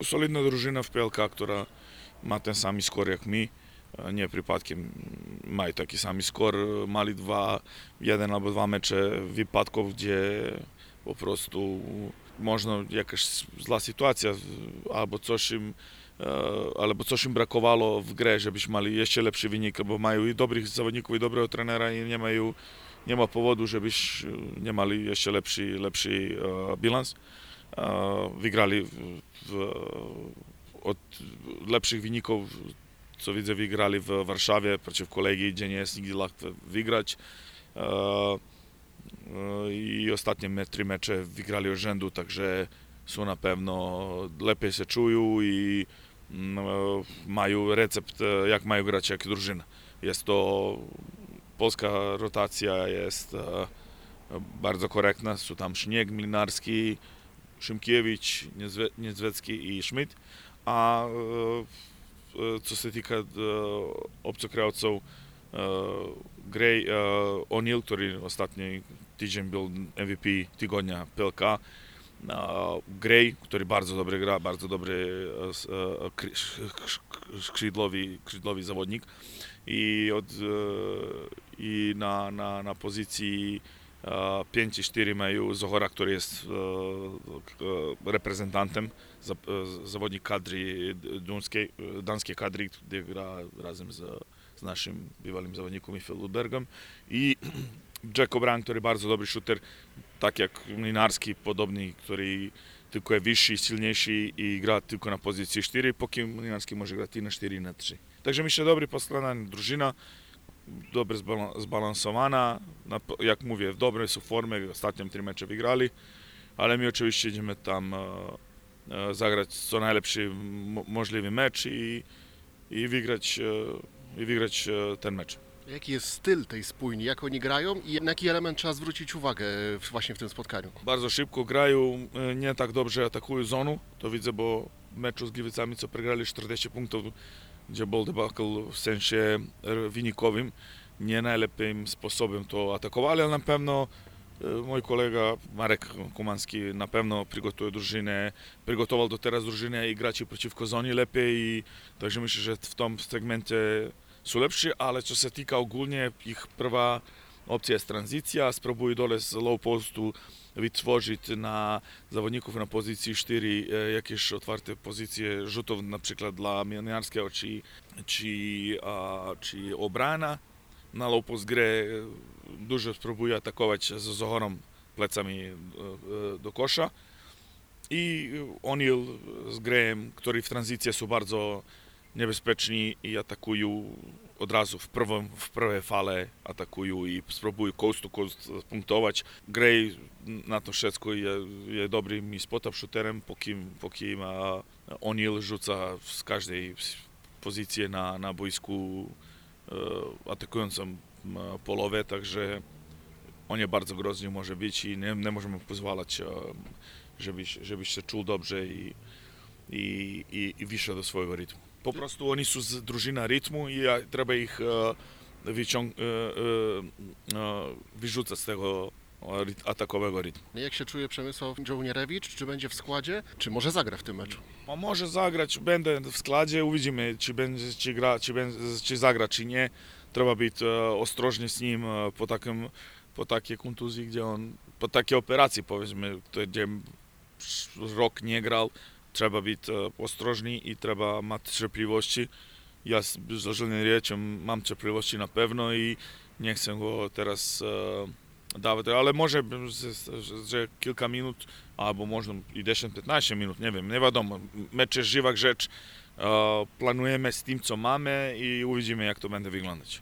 Solidna drużyna w PLK, która ma ten sam skor jak my. Nie przypadkiem mają taki sam skor. Mali jeden albo dwa mecze wypadków, gdzie po prostu można jakaś zła sytuacja albo coś im brakowało w grze, żebyśmy mieli jeszcze lepszy wynik, bo mają i dobrych zawodników, i dobrego trenera i nie ma powodu, żebyś nie mieli jeszcze lepszy bilans. Wygrali od lepszych wyników, co widzę, wygrali w Warszawie przeciwko Legii, gdzie nie jest nigdy łatwo wygrać. I ostatnie 3 mecze wygrali od rzędu, także są na pewno lepiej się czują i mają recept, jak mają grać jak drużyna. Jest to polska rotacja, jest bardzo korektna, są tam Śnieg, Mlinarski, Szymkiewicz, Niedzwecki i Schmidt, a co się tyka obcokrajowców, Gray, O'Neill, który ostatni tydzień był MVP tygodnia PLK, Gray, który bardzo dobrze gra, bardzo dobry skrzydłowy zawodnik i na pozycji 5-4 mają Zohora, który jest reprezentantem, zawodnik kadry danskiej kadry, gdzie gra razem z naszym bywalym zawodnikiem Michał Ludbergiem, i Jacob Brand, który bardzo dobry shooter, tak jak Mlinarski, podobny, który tylko jest wyższy, silniejszy i gra tylko na pozycji 4, póki Mlinarski może grać i na 4 i na 3. Także myślę, dobry poskładana drużyna, dobrze zbalansowana, jak mówię, w dobrej są formie, ostatnie 3 mecze wygrali, ale my oczywiście idziemy tam zagrać co najlepszy możliwy mecz i wygrać ten mecz. Jaki jest styl tej spójni, jak oni grają i na jaki element trzeba zwrócić uwagę właśnie w tym spotkaniu? Bardzo szybko grają, nie tak dobrze atakują zonu, to widzę, bo w meczu z Gliwicami, co przegrali 40 punktów, gdzie był debakl w sensie wynikowym, nie najlepszym sposobem to atakowali, ale na pewno mój kolega Marek Kumanski na pewno przygotuje drużynę, przygotował do teraz drużynę i graczy przeciwko zonie lepiej, i także myślę, że w tym segmencie są lepsi, ale co się tyka ogólnie, ich prva opcja jest tranzycja, spróbują dole z low postu wytworzyć na zawodników na pozycji 4 jakieś otwarte pozycje rzutów, na przykład dla Mlinarskiego czy obrana. Na low post grę dużo spróbuję atakować z Zohorem plecami do kosza, i O'Neill z Grayem, którzy w tranzycji są bardzo niebezpieczni i atakują od razu w prawej fale, atakują i spróbują coast to coast punktować. Gray na to wszystko jest dobrym spot-up shooterem, póki O'Neill rzuca z każdej pozycji na boisku atakującą połowę, także on jest bardzo groźny może być i nie możemy pozwalać, żebyś się czuł dobrze i wyszedł do swojego rytmu. Po prostu oni są z drużyna rytmu i trzeba ich wyrzucać z tego atakowego rytmu. Jak się czuje Przemysław Żołnierewicz? Czy będzie w składzie? Czy może zagra w tym meczu? Może zagrać, będę w składzie, uwidzimy, czy zagra, czy nie. Trzeba być ostrożny z nim po takiej kontuzji, gdzie on, po takiej operacji, powiedzmy, gdzie rok nie grał. Trzeba być ostrożny i trzeba mieć cierpliwości. Ja z Żołnierzem mam cierpliwości na pewno i nie chcę go teraz dawać, ale może że kilka minut, albo można i 10-15 minut, nie wiem, nie wiadomo. Mecz jest żywa rzecz, planujemy z tym, co mamy, i uwidzimy, jak to będzie wyglądać.